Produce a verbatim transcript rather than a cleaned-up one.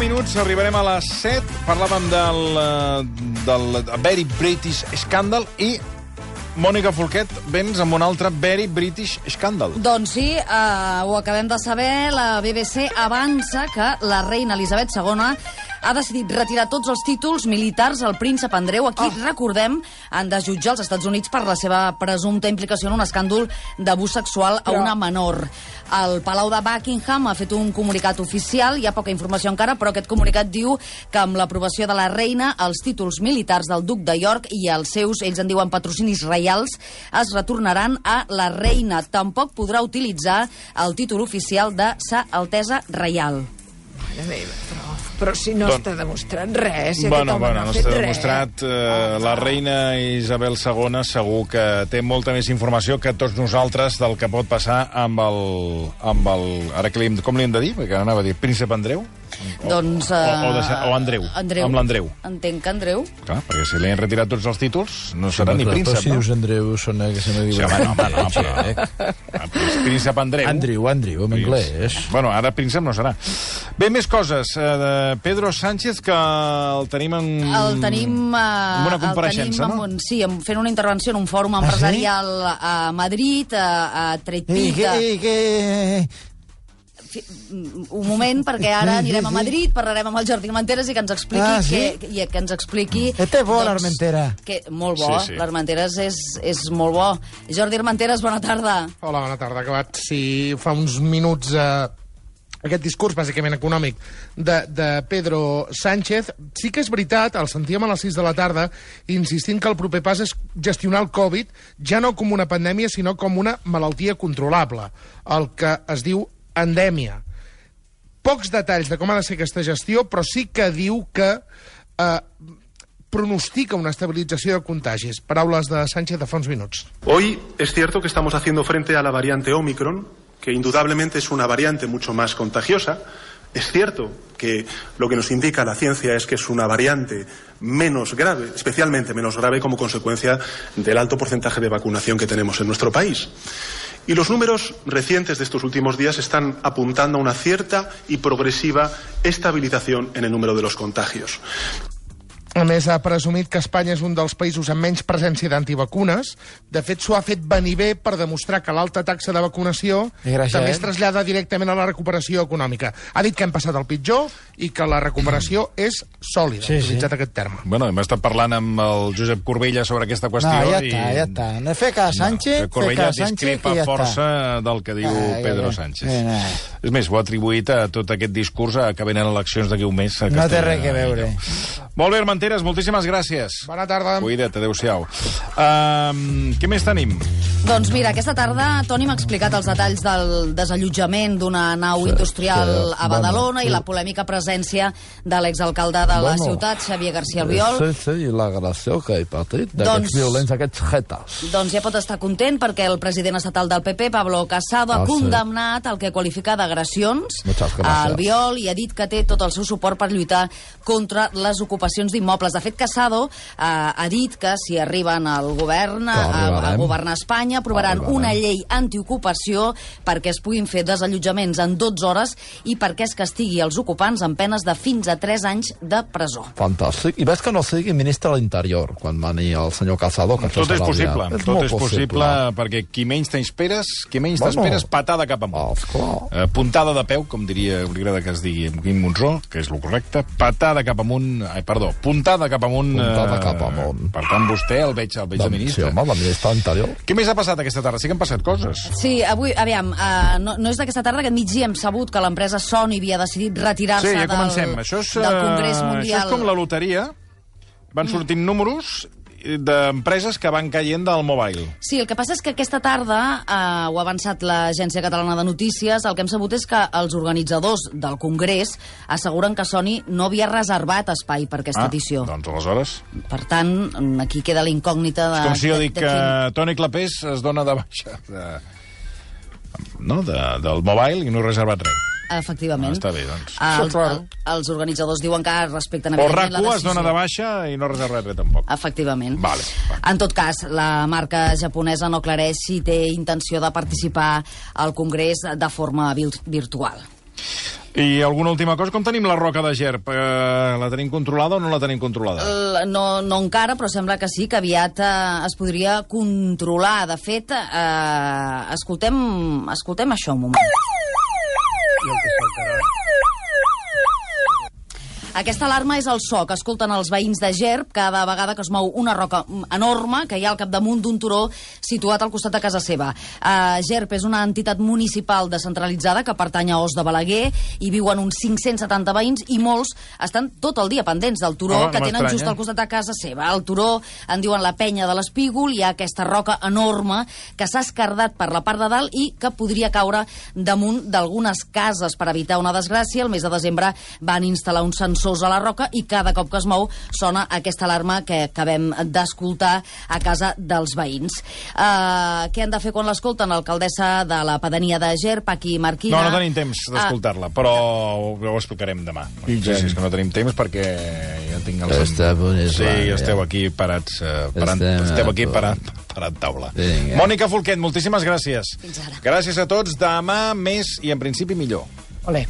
minuts, arribarem a les set. Parlàvem del, del Very British Scandal i Mònica Folquet, vens amb un altre Very British Scandal. Doncs sí, eh, ho acabem de saber. La B B C avança que la reina Elisabet segona ha decidit retirar tots els títols militars al príncep Andreu, a qui, oh. recordem, han de jutjar als Estats Units per la seva presumpta implicació en un escàndol d'abús sexual a una menor. El Palau de Buckingham ha fet un comunicat oficial, hi ha poca informació encara, però aquest comunicat diu que amb l'aprovació de la reina, els títols militars del duc de York i els seus, ells en diuen patrocinis reials, es retornaran a la reina. Tampoc podrà utilitzar el títol oficial de Sa Altesa Reial. Mare meva, però, però si no Don... està demostrat res, si bueno, aquest home bueno, no ha no fet està res. demostrat. Eh, oh, la reina Isabel segona segur que té molta més informació que tots nosaltres del que pot passar amb el... Amb el ara que li hem, com li hem de dir? Perquè anava a dir príncep Andreu? O, doncs... Uh, o, o, de, o Andreu. Andreu. Amb l'Andreu. Entenc que Andreu. Clar, perquè si li han retirat tots els títols, no serà sí, ni príncep, però si no? dius Andreu, sona que se me diu... Sí, home, no, home, no, però... Príncep Andreu. Andrew, Andrew, en anglès. Bueno, ara príncep no serà. Bé, més coses. Uh, Pedro Sánchez, que el tenim en... El tenim... Uh, en una compareixença, no? Un, sí, fent una intervenció en un fòrum empresarial ah, sí? a Madrid, a, a Tretpita. Eh, que... Un moment, perquè ara anirem a Madrid, parlarem amb el Jordi Armenteres i que ens expliqui... Ah, sí? que, i que ens expliqui... Este és bo, doncs, l'Armentera. Que, molt bo, sí, sí. l'Armenteres és, és molt bo. Jordi Armenteres, bona tarda. Hola, bona tarda. Acabat, sí, fa uns minuts... Eh... Aquest discurs, bàsicament econòmic, de, de Pedro Sánchez. Sí que és veritat, el sentíem a les sis de la tarda, insistint que el proper pas és gestionar el Covid ja no com una pandèmia, sinó com una malaltia controlable, el que es diu endèmia. Pocs detalls de com ha de ser aquesta gestió, però sí que diu que eh, pronostica una estabilització de contagis. Paraules de Sánchez de fa uns minuts. Hoy es cierto que estamos haciendo frente a la variante Omicron, que indudablemente es una variante mucho más contagiosa. Es cierto que lo que nos indica la ciencia es que es una variante menos grave, especialmente menos grave como consecuencia del alto porcentaje de vacunación que tenemos en nuestro país. Y los números recientes de estos últimos días están apuntando a una cierta y progresiva estabilización en el número de los contagios. A més, ha presumit que Espanya és un dels països amb menys presència d'antivacunes. De fet, s'ho ha fet venir bé per demostrar que l'alta taxa de vacunació també es trasllada directament a la recuperació econòmica. Ha dit que hem passat el pitjor i que la recuperació és sòlida, sí, ha utilitzat sí. aquest terme. Bueno, hem estat parlant amb el Josep Corbella sobre aquesta qüestió. No, ja i... està, ja està. No fer que Sánchez, no, Corbella fer que Sánchez, discrepa ja força està. del que diu ah, Pedro ja, Sánchez. Ja, ja. És més, ho ha atribuït a tot aquest discurs a que venen eleccions d'aquí un mes. A no té res que veure. Molt bé, Armenteres, moltíssimes gràcies. Bona tarda. Cuida't, adéu-siau. Um, què més tenim? Doncs mira, aquesta tarda Toni m'ha explicat els detalls del desallotjament d'una nau sí, industrial sí, a Badalona bueno, i la polèmica presència de l'exalcalde de la bueno, ciutat, Xavier García Albiol. Sí, sí, i l'agressió que he patit d'aquests doncs, violents, aquests jetes. Doncs ja pot estar content perquè el president estatal del P P, Pablo Casado, ah, ha condemnat sí. el que qualifica d'agressions a Albiol i ha dit que té tot el seu suport per lluitar contra les ocupacions d'immobles. De fet, Casado eh, ha dit que si arriben al govern, a, a governar Espanya, aprovaran una llei antiocupació perquè es puguin fer desallotjaments en dotze hores i perquè es castigui els ocupants amb penes de fins a tres anys de presó. Fantàstic. I ves que no sigui ministre de l'Interior quan mani el senyor Casado. Que tot és possible. És tot és possible, possible perquè qui menys t'esperes, qui menys bueno, t'esperes, patada cap amunt. Oh, eh, puntada de peu, com diria, hauria que es digui en Quim Monzó, que és el correcte, patada cap amunt, ai, perdó, puntada cap amunt. Puntada eh, cap amunt. Per tant, vostè el veig, el veig de ministre. Sí, home, la ministra de l'Interior. Què més ha passat aquesta tarda? Sí que han passat coses. Sí, avui, aviam, uh, no, no és d'aquesta tarda, aquest migdia hem sabut que l'empresa Sony havia decidit retirar-se sí, ja del, això és, del Congrés Mundial. Això és com la loteria. Van sortint mm. números d'empreses que van caient del mobile. Sí, el que passa és que aquesta tarda, eh, ho ha avançat l'Agència Catalana de Notícies, el que hem sabut és que els organitzadors del Congrés asseguren que Sony no havia reservat espai per aquesta ah, edició. Doncs aleshores... Per tant, aquí queda la incògnita de... És com si jo dic de, de que quin... Toni Clapés es dona de baixa de, no, de, del mobile i no ha reservat res. Efectivament. Ah, està bé, doncs. El, el, els organitzadors diuen que respecten o evidentment la decisió. RAC u es dona de baixa i no reserva res tampoc. Efectivament. Vale, vale. En tot cas, la marca japonesa no aclareix si té intenció de participar al Congrés de forma virtual. I alguna última cosa? Com tenim la roca de Gerb? Eh, la tenim controlada o no la tenim controlada? Uh, no, no encara, però sembla que sí, que aviat uh, es podria controlar. De fet, uh, escoltem, escoltem això un moment. Aquesta alarma és el so que escolten els veïns de Gerb cada vegada que es mou una roca enorme que hi ha al capdamunt d'un turó situat al costat de casa seva. Uh, Gerb és una entitat municipal descentralitzada que pertany a Os de Balaguer, hi viuen uns cinc-cents setanta veïns i molts estan tot el dia pendents del turó oh, que tenen just al costat de casa seva. El turó en diuen la penya de l'Espígol, hi ha aquesta roca enorme que s'ha escardat per la part de dalt i que podria caure damunt d'algunes cases. Per evitar una desgràcia, el mes de desembre van instal·lar un sensor a la roca i cada cop que es mou sona aquesta alarma que acabem d'escoltar a casa dels veïns. Uh, què han de fer quan l'escolten? L'alcaldessa de la pedania de Gerb, Paqui Marquina... No, no tenim temps d'escoltar-la, però ho, ho explicarem demà. Sí, sí, és que no tenim temps perquè ja tinc els... Esteu, sí, esteu aquí parats, uh, parant, esteu aquí parant, parant taula. Vinga. Mònica Folquet, moltíssimes gràcies. Fins ara. Gràcies a tots. Demà més i en principi millor. Olé.